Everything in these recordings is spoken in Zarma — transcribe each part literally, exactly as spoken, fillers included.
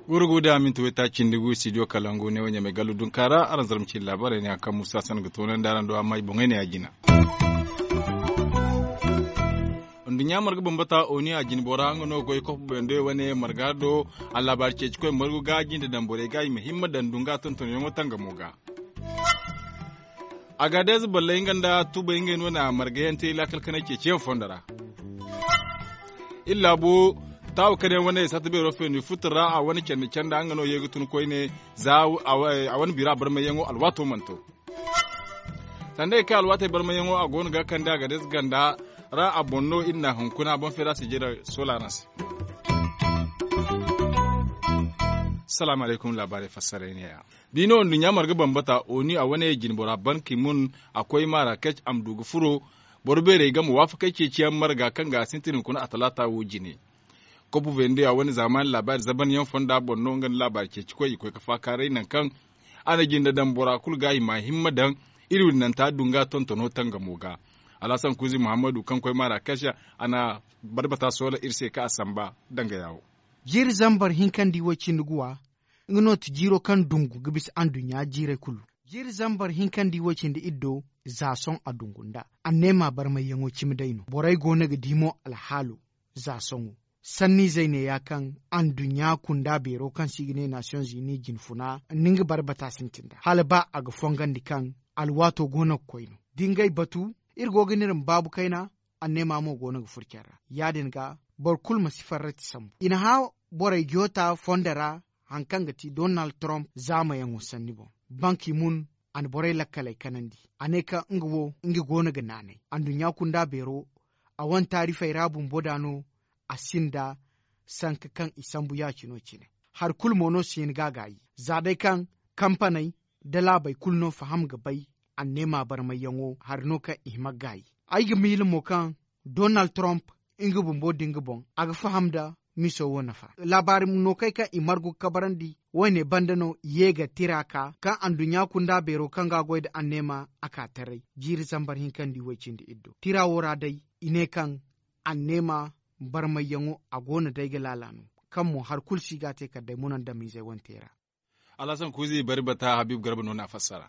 Gurgu da minti wayta cindi gu studio kalangu ne wanya mai gallu dunka ra araŋ zarma cindi laabaarey ne haŋ kaŋ musa san ga toonandi araŋ do amma i boŋey ne ya jina. Nduɲɲa marga bambata oni a jine bora nga no goy kofu bende wane marga do. Allaabaari ceeci koy margu ga jinde daŋ borey ga i ma himma daŋ dunga tontonyaŋo tangamo ga. Agaadez balley nga nda tubay ngey no na margayaŋ te laakal kanay ceeciyaŋ fondo ra. Iri laabu taawa kane wane sata beero feeni futu ra a wane candi canda nga no ye ga tun koyne. Za a wane bira barmayyaŋo alwaato mana to. Sanda ay kay alwaatey barmayyaŋo a go no ga kande a ga day ganda ra a boŋ no iri na hunkuna boŋ feera sijira sola ra se. Salaamu alaykum laabaarey fassaray ne ya. D'i no nduɲɲa marga bambata oni a wane jinbora ban ki mun a koy marakec a ma du ga furo. Boro beerey game waafakey ceeciyaŋ marga kaŋ ga a sintin hunkuna a talaata wo jine. Kopu vende a wane zaamaani laabaari zabanyaŋ fonda boŋ no nga nda laabaari ceeci koy i koy ga faakaaray nangu kaŋ a na jinde daŋ bora kulu ga i ma a himma daŋ. Iri wirinanta dunga tontono tangamo ga. Alhasan kuuzi muhammadu kaŋ koy marakec a na barbata soola iri se kaŋ a samba danga yaawo. Jiiri zambar hinkandi wo cindi guwa nga no ti jiiro kaŋ dungu ga bisa anduɲɲa jiirey kulu. Jiiri zambar hinkandi wo cindi iri do za soŋ a dungu nda anneema barmayyaŋo cimi day no borey go no ga di mo alhaalo. Za soŋo sanniizey ne ya kaŋ anduɲɲa kunda beero kaŋ se i ga ne nasiyoŋ zini jinfuna ni nga barbata sintin da hala ba a ga fongandi kaŋ alwaato go no ga koy no. Da ngey batu iri go ga ne iri ma baabu kayna. Anneema mo go no ga furo care ra ya- din ga boro kulu ma si farrati sambu i na hã borey joota fondo ra. Hari kaŋ ga ti donald trump zaamayaŋo sanni boŋ banki mun a na borey lakkaley kanandi. A ne kaŋ nga wo nga go no ga naanay anduɲɲa kunda beero a wane taarifey ra bumbo da no. A sinda sanka kaŋ i sambu ya- cino cine hari kulu mo no si hin ga a gaayi za day kaŋ kampaney da laabey kulu no faham ga bay. Anneema barmayyaŋo hari no kaŋ i hima ga gaayi ay ga miila mo kaŋ donald trump nga bumbo da nga boŋ a ga faham nda miso wo nafa. Laabaari no kay kaŋ i margu ga kabarandi wo- ne banda no i ye ga tira ka kaŋ anduɲɲa kunda beero kaŋ ga a goy nda anneema a ka taray jiiri zambar hinkandi way- cindi iddo tira wo ra day i ne kaŋ anneema barmayyaŋo a go no day ga laala no kaŋ mo hari kulu si ga a te kala day munandamiizey wane te ra. Alhasan kuuzi bari bata habiibu garba no na a fassara.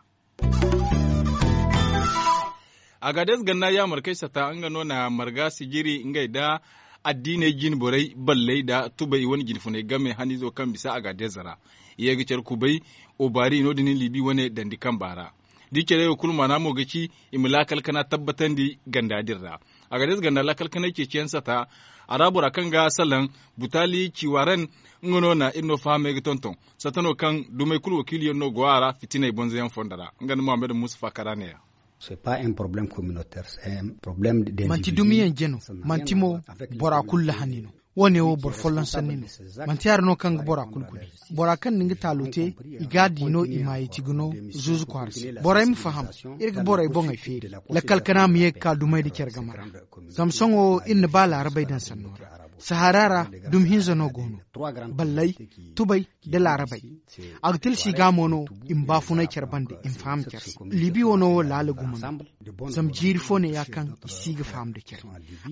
Agaades ganda yaamarkey sata nga no na marga sijiri ngey nda addiiney jinborey balley nda tubay wane jinfuney game haniizo kaŋ bisa agaades ra. I ye ga care kubay obaari no- din libi wane dandi kamba ra. Da i care wo kulu maana mo ga ci i ma laakal kana tabbatandi ganda din ra. Agaades ganda laakal kanay ceeciyaŋ sata a ra bora kaŋ ga salaŋ butaali ciwaran. Nga no na iri no fahamey ga tonton sata no kaŋ dumey kulu wakiiliyaŋ no go a ra fitiney bonzoyaŋ fondo ra nga nda muhammad musa faakara neeya. Manti dumiyaŋ jeno manti mo bora kulu lahani no. Wo- ne wo boro folloŋ sanni no. Manti hari no kaŋ ga bora kulu gudi bora kaŋ na nga taalo te i ga a di no i maayey ti ga no zuuzu kwaara se borey ma faham. Iri ga borey boŋey feeri lakkal kana ma ye ga ka dumey nda care game ra. Zama sohõ iri na ba laarabey daŋ sanno ra sahara ra dumi hinza no go no. Balley tubay nda laarabey a ga tilsi ga mo no i ma baafunay care banda i ma faham care se. Liibi wano wo laala gumo no. Zama jiiri fo ne ya kaŋ i si ga faham nda care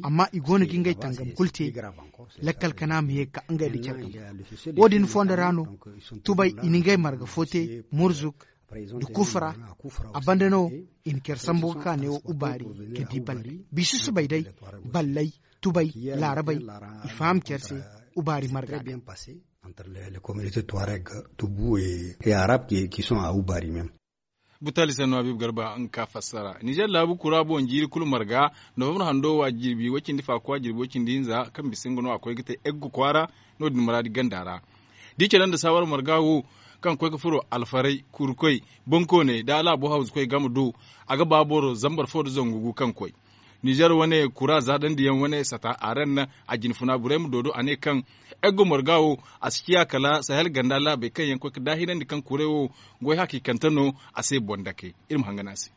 amma i go no ga ngey tangam kulu te. Lakkal kana ma ye ga ka ngey nda care game wo- din fondo ra no. Tubay i na ngey marga fo te murzuk nda kufra. A banda no i na care sambu ga ka neewo ubaari ga di balley biisi subay day balley tubay laarabey i faham care se. Ubaari marga day. Entre les communautés tuareg tubu et arab qui sont à ubari même. Butali sanno habibu garba nga ka fassara nizer laabu kura boŋ jiiri kulu marga novembre hando wa jirbi wacindi fakuwa jirbi wacindi hinza kaŋ bisa nga no a koy ga te eggu kwaara. No- din maraadi ganda ra da i care nda saawar marga wo kaŋ koy ga furo alfaray kurkoy bankooney da laabo hawzu koy game do. A ga ba boro zambar fo nda zangu gu kaŋ koy nizer wane kura zaadandiyaŋ wane sata a ra nna a jinfuna borey ma doodo a ne kaŋ eggo marga wo a si ciya kala sahel ganda laabey kaŋ yaŋ koy ga daahinandi kaŋ kuray wo goy hakiikante no. A se boŋ dake iri ma hangan a se.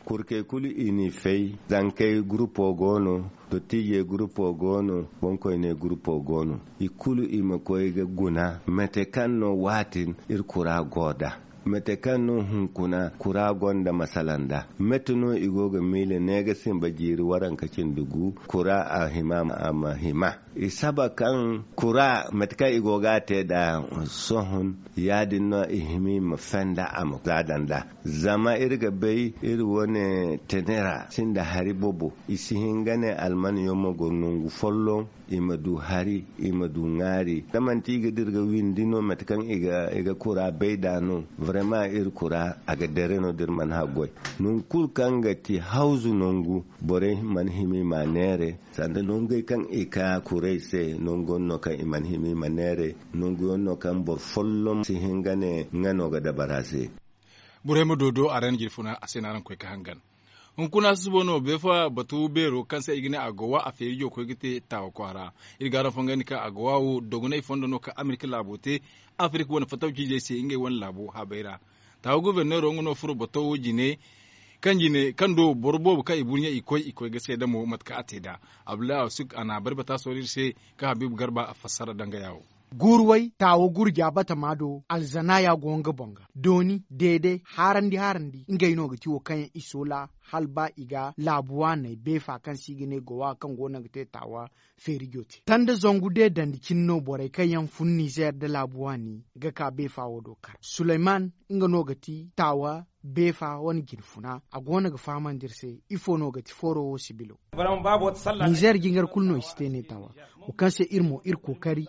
Kurkey kulu i n'i fay zankey gurupo go no. Dottiijey gurupo go no. Boŋkoyney gurupo go no i kulu i ma koy ga guna mate kaŋ no waatin iri kura go nd'a. Mate kaŋ no hunkuna kura gonda masala nda mate no i go ga miila ne ga simba jiiri waranka cindi gu kura a hima a ma hima. I saba kaŋ kura mate kaŋ i go ga a te nd'a sohõ, ya- din no i hima i ma fenda a ma zaada nd'a. Zama iri ga bay iri wane tenera sinda hari bobo. I si hin ga ne alman yaŋ ma goro nangu folloŋ, i ma du hari, i ma du ŋwaari. Da manti i ga dira ga windi no mate kaŋ i ga kura bay nd'a no. Barema iri kura a ga dare no da iri mana haggoy. Nangu kulu kaŋ ga ti hawzu nangu, borey mana hima i m'a neere. Sanda nangey kaŋ i ka kuray se nangu yaŋ no kaŋ i mana hima i ma neere. Nangu yaŋ no kaŋ boro folloŋ si hin ga ne nga no ga dabara se. Borey ma doodo a ra ni jirfuna a se no araŋ koy ga hangan. Hunkuna susubo no beefa batu beero kaŋ se i ga ne a go wa a feeri jooko ga te taawa kwaara. Iri ga araŋ fongandi kaŋ a go wa wo dogonay fondo no kaŋ amerika laabo te, afirika wane fatawciizey se ngey wane laabo habey ra. Taawa guberneero nga no furo bato wo jine kaŋ jine kaŋ do boro boobo kaŋ i burɲe i koy i koy ga seeda mo mate kaŋ a te nd'a. Abdullahi awsik a na a bari bata sohõ iri se kaŋ habiibu garba a fassara dangaya wo. Guuru way taawa gurja batama do alzanaaya go nga boŋ ga dooni deede haarandi haarandi ngey no ga ti wo kaŋ yaŋ i soola hala ba i ga laabu waaney beefa kaŋ se i ga ne gowa kaŋ go no ga te taawa feerijo te tanda zangu de dandi cine no borey kaŋ yaŋ fun nizeer nda laabu waani ga ka beefa wo do kar suleyman nga no ga ti taawa beefa wane jinfuna a go no ga fahamandi iri se ifo no ga ti fooro wo sibilo. Nizeer jingar kulu no i si te ne taawa wo kaŋ se iri mo iri kookari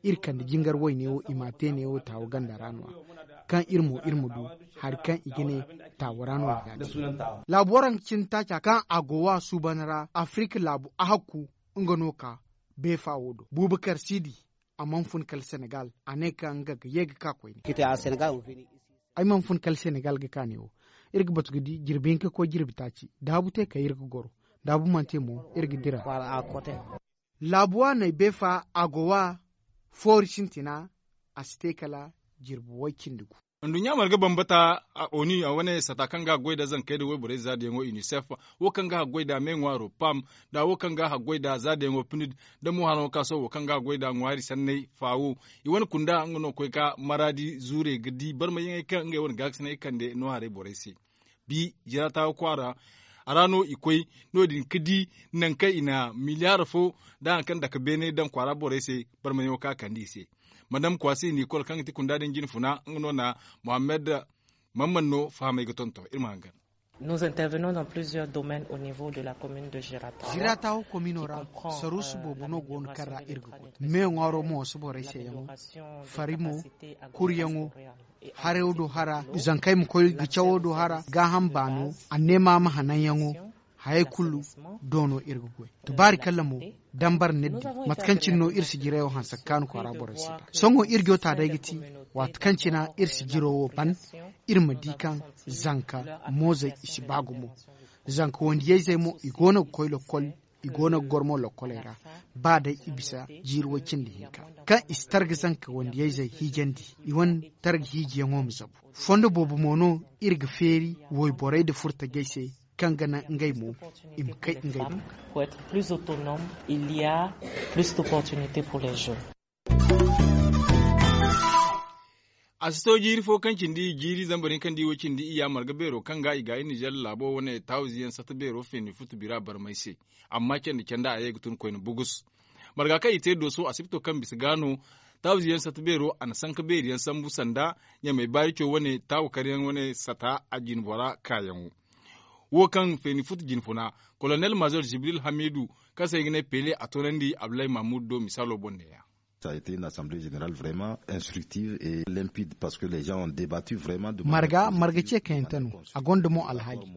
iri kande jingar wayne wo i m'a te neewo taawa ganda ra no- ya kaŋ iri mo iri ma du hari kaŋ i ga ne taawa ra no i ga a te. Laabu waranka cine taaca kaŋ a go wa suuban ra afirika laabu ahakku nga no ka beefa wo do buubakar siidi a mana fun kala senegal a ne kaŋ nga ga ye ga ka koyne. Ay mana fun kala senegal ga ka neewo iri ga batu ga di jirbi hinka koy jirbi taaci daabu te kay iri ga goro daabu mana te mo iri ga dira. Laabu waaney beefa a go wa foori sintina a si te kala jirbi way cindi gu. Nduɲɲa marga bambata a oni a wane sata kaŋ ga a goy nda zankey nda wayborey zaadiyaŋo unicef wo kaŋ ga a goy nda me ŋwaaro pam nda wo kaŋ ga a goy nda zaadiyaŋo pinid nda mo hano ka sohõ wo kaŋ ga a goy nda ŋwaari sanney faawo. I wane kunda nga no ga koy ga maraadi zuurey ga di barmayyaŋey kaŋ ngey wane gaakasinay kande no haray borey se. Bi jira taawa kwaara a ra no i koy no- din ga di nangu kaŋ i na miliyaar fo nda hari kaŋ dake beene daŋ kwaara borey se. Barmayaŋo kaŋ a kande i se madam kwaasi niikol kaŋ ga ti kunda din jinfuna nga no na muhammad. Mamman no fahamay ga tonton iri ma hangan. Nous intervenons dans plusieurs domaines au niveau de la commune de Girata. Girata wo komino ra saruusu boobo no go no kaŋ ra iri ga goy. Me ŋwaaro mo wasu borey se yaŋo fari mo kuryaŋo harayo do hara zankey ma koy ga cawo do hara gaaham baano anneema ma hananyaŋo. Hayey kulu do no iri ga goy. Tubaari kalla mo dambar nirdi mate kaŋ cine no iri sijirayo hanse ga kaanu kwaara borey se da sohõ iri go ta day ga ti waati kaŋ cina iri sijiro wo ban iri ma di kaŋ zanka moozey i si ba gumo. Zanka wandiyayzey mo i go no ga koy lokkol i go no ga goro mo lokkoley ra ba day i bisa jiiri way cindi hinka kaŋ i si targa zanka wandiyayzey hiijandi i wane targa hiijiyaŋo ma zabu. Fondo boobo mo no iri ga feeri wayborey nda furtajey se kaŋ ga naŋ ngey mo i ma kay ngey boŋ ga. Pour être plus autonome il y a plus d'opportunités pour les jeunes. A si to jiiri fo kaŋ cindi jiiri zambar hinka nda i wo cindi iyya marga beero kaŋ ga i ga i nizer laabo wane tawziyaŋ sata beero feeni futu bira barmay se. Amma candi canda a ye ga tun koyne bugus. Marga kaŋ i te dooso asipto kaŋ bisa ga no tawziyaŋ sata beero a na sanka beeriyaŋ sambu sanda ɲamay baarico wane taawakaryaŋ wane sata a jinbora kaayaŋo. Wo kaŋ feeni futu jinfuna kolonel mazor jibril hamidu kaŋ se i ga ne pele a toonandi abdulahi mahmud do misaalo boŋ neeya. Ça a été une assemblée générale vraiment instructive et limpide parce que les gens ont débattu vraiment de manière marga marga ce kayante no a gonda mo alhaali.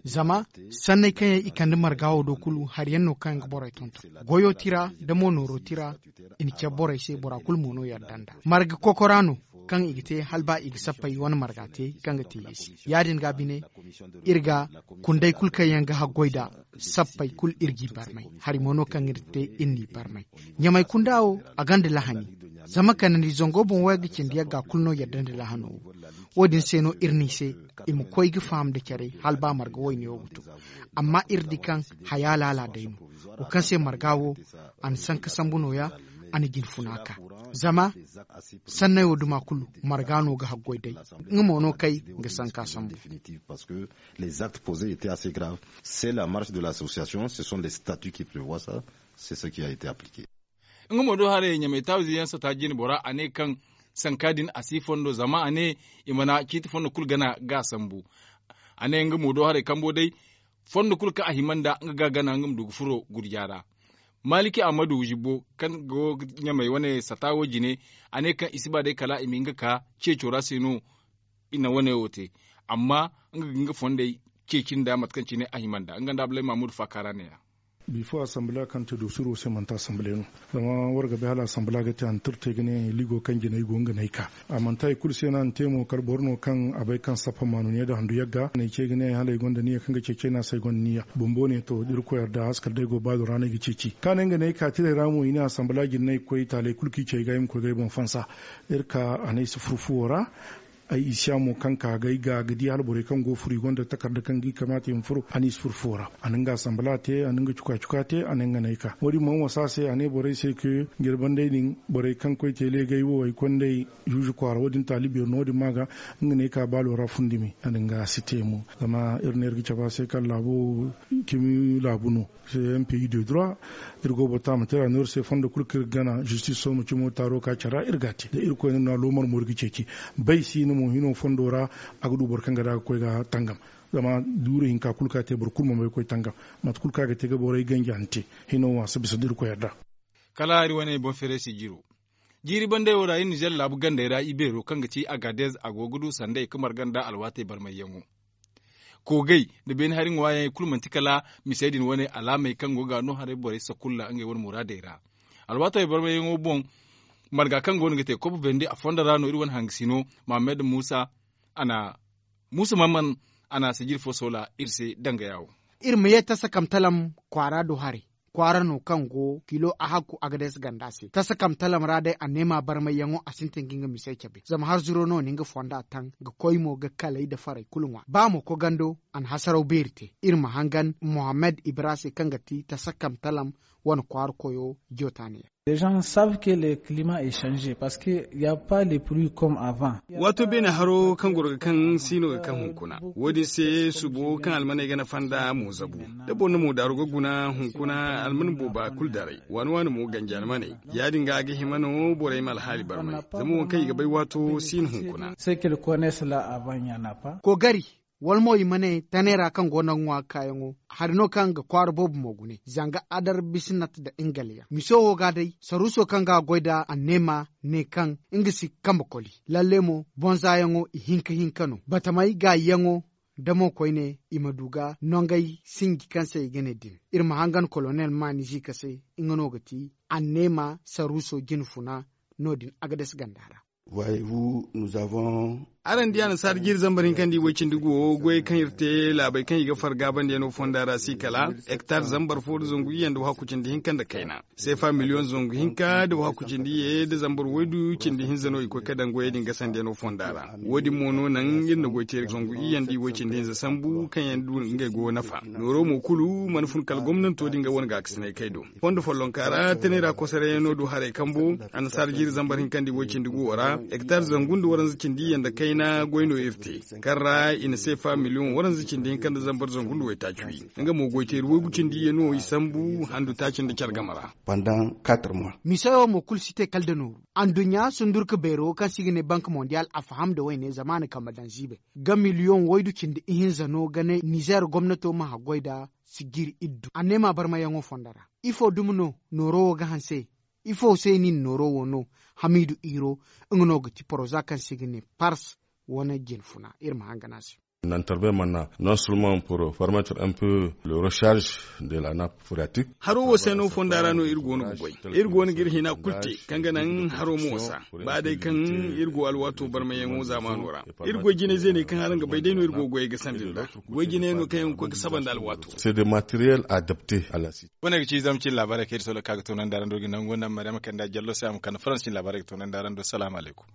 Zama sanney kaŋ yaŋ i kande marga wo do kulu hari yaŋ no kaŋ ga borey tonton goyo tira nda mo nooro tira. I na care borey se bora kulu mo no yadda nda marga kokora no kaŋ i ga te hala ba i ga sappey wane marga te kaŋ ga te yeesi ya- din ga bine iri ga kunday kulu kaŋ yaŋ ga haggoy nda sappey kulu iri g'i barmay. Hari mo no kaŋ iri te iri n'i barmay ɲamay kunda wo a gonda lahani. Zama kanandi zango boŋ wo ga cindi yagga kulu no yadda nda lahano wo wo- din se no iri n'i se i ma koy ga faham nda care hala ba marga wayne wo ga to. Amma iri di kaŋ haya laala day no wo kaŋ se marga wo a na sanka sambu nooya. a na jinfuna ka zama sanney wo duma kulu marga no ga haggoy day. Nga mo no kay ga sanka sambu. Les actes posés étaient assez graves. C'est la marche de l'association, ce sont les statuts qui prévoient ça. C'est ce qui a été appliqué. Nga mo do haray ɲamay taawize yaŋ sata jine bora a ne kaŋ sanka din a si fondo zama a ne i mana ciiti fondo kulu gana ga a sambu. A ne nga mo do haray kambo day fondo kulu kaŋ a hima nda nga ga gana nga ma du ga furo gurja ra. Maliki ahmadu zibo kaŋ go ga ɲamay wane sata wo jine a ne kaŋ i si ba day kala i ma hin ga ka ceeco ra se no i na wane wo te. Amma nga ga nga fondey ceeci nda mate kaŋ cine a hima nda nga nda abulay mamudu faaka ra ne-ya. Bifo asambila kaŋ te doosiro se manti asambila no. Zama war ga bay hala asambila ga te a na tirte ga ne ligo kaŋ jinay go nga n'ay ka a manti hari kulu se no a na te mo kala boro no kaŋ a bay kaŋ sappa maanu ne nda handu yagga n'ay ce ga ne hala ay gonda niya kaŋ ga ceeci ay no a se ay gonda niya bumbo ne to da irkoy yarda haskal day go baalo ra no ay ga ceeci ka ne nga n'ay ka tiray ra mo i ne asambila jinay koy taaley kulu kaŋ i ce ay ga ay ma koy ga ay boŋ fansa. Iri ka a ne ay si furu fuwo ra. Ay i siya mo kaŋ ka ga ay ga ga di hala borey kaŋ go ga furu i gonda takarda kaŋ ga i kamaata i ma furu a n'i si furu fuwo ra. A na nga asambila te a na nga cuka cuka te a na nga n'ay ka wo- din mana wasa se a ne borey se ke jirbanday din borey kaŋ koy teele ga ay wo ay kondey zuuzu kwaara wo- din taali beeri no wo- din ma ga nga n'ay ka baalo ra fundumi a na nga a si te mo. Zama iri ne iri ga cabe a se kaŋ laabo cimi laabu no. Se mpi de droit. Iri go boro taama te ra no iri se fondo kulu kaŋ iri ga gana zistis sohõ ma cimo taaro ka care ra iri ga a te da irkoy no na loomar mo iri ga ceeci. Bay si no mo hino fondo ra a ga du boro kaŋ ga da ga koy ga tangam. Zama duuri hinka kulu kaŋ a te boro kulu mana bay ga koy tangam. Mate kulu kaŋ a ga te ga borey ganji a na te. Hino wo a si bisa da irkoy yadda. Kala iri wane boŋ feeray si jiro. Jiiri bandey wo ra iri nizer laabu gandey ra ibeero kaŋ ga ti agadez a go ga du sanday ga marga nda alwaatey barmayyaŋo. Koogey nda beene hari ŋwaayaŋey kulu manti kala misey din wane alaamey kaŋ go ga no haray borey sakulla ngey wane muraadey ra. Alwaatey barmayyaŋo boŋ marga kaŋ go no ga te kobo bendi a fondo ra no iri wane hangasino mahamed muusa a na muusa mamman a na sijiri fo soola iri se dangaya wo. Iri ma ye tasakamtalam kwaara do haray kwaara no kaŋ go kilo ahakku agades ganda se tasakamtalam ra day anneema barmayyaŋo a sintin ga nga misey cabe zama harzuro no na nga fonda taŋ ga koy mo ga kalay nda farey kulu ŋwa ba mo kogando a na hasaraw beeri te. Iri ma hangan mohammed ibra se kaŋ ga ti tasakamtalam wane kwaara koyo jotaaniya. Dejan savent ke le climat est changé parce que ya pas le plus comme avant. Waato beene haro kaŋ goro ga kaŋ si no ga kaŋ hunkuna. Wo- din se subo kaŋ almaney ga nafa nda mo zabu da boro na mo daaru ga guna hunkuna alman booba kulu daray waani waani mo ganji almaney. Ya- din ga a ga hima no borey ma alhaali barmay zama waŋ kaŋ i ga bay waato si no hunkuna. Ce qu'ils connaissent là avant il n'y en a pas. Koogari wala mo i ma ne taney ra kaŋ go no ga ŋwa ga kaayaŋo hari no kaŋ ga kwaara boobo mo gune zanga adar bisinat nda nga layaŋ miso wo ga day saruuso kaŋ ga a goy nda anneema ne kaŋ nga si kambe koli. Lalle mo bonzaayaŋo ihinka hinka no batamey gaayiyaŋo da mo koyne i ma du ga nongey sinji kaŋ se i ga ne din. Iri ma hangan kolonel maani ziika se nga no ga ti anneema saruuso jinfuna no- din agades ganda ra. Araŋ di annasaara jiiri zambar hinka nda i way cindi gu wo goyey kaŋ iri te laabey kaŋ i ga far gaabandiyaŋo fonda ra si kala hektar zambar fo nda zangu iyye nda wahakku cindi hinka nda kayna seefa miliyoŋ zangu hinka nda wahakku cindi iyye nda zambar waydu cindi hinza no i koy ga daŋ goyey din gasandiyaŋo fonda ra. Wo- din mo no naŋ iri na goy teeri zangu iyye nda i way cindi hinza sambu kaŋ yaŋ du ngey go nafa nooro mo kulu mana fun kala gomnanto din ga wane gaakasinay kay do. Fondo follonka ra tanay ra kosarayyaŋo du haray kambo annasaara jiiri zambar hinka nda i way cindi gu wo ra hektar zangu nda waranza cindi iyye nda kayna goy no iri te kaŋ ra i na seefa miliyoŋ waranza cindi hinka nda zambar zangu nda waytaaci wi. Nga mo goyteeri waygu cindi iyye no i sambu handu taaci nda care game ra. Misayo mo kulu si te kala nda nooru. Anduɲɲa sundurka beero kaŋ se i ga ne bank mondial a faham nda wayne zamaana kambe daŋ ziibay ga miliyoŋ waydu cindi ihinza no ga ne nizeer gomnato ma haggoy nda sijiri iddu anneema barmayaŋo fondo ra. Ifo dumi no nooro wo ga hanse? Ifo se no i na nooro wo no? Hamiidu iiro nga no ga ti poroza kaŋ se i ga ne pars wane jinfuna iri ma hangan a se. Nantarbe mana non seulement pour permettre un peu le recharge de la nappe phréatique. Haro wo se no fonda ra no iri go no ga goy. Iri go no ga iri hina kulu te kaŋ ga naŋ haro ma wasa ba day kaŋ iri go alwaato barmayaŋo zaamaano ra. Iri goy jinay zeeney kaŋ araŋ ga bay day no iri go ga goyey ga sandi nd'a. Goy jinay no kaŋ yaŋ ga koy ga saba nda alwaato. C'est des matériels adaptés à la situation. Wane ga ci zama cin laabaarey kaŋ iri solo ka ga toonandi araŋ do ga nangu nda maryama kanda jallo se a ma kande faransi cin laabaarey ga toonandi araŋ do salaamu alaykum.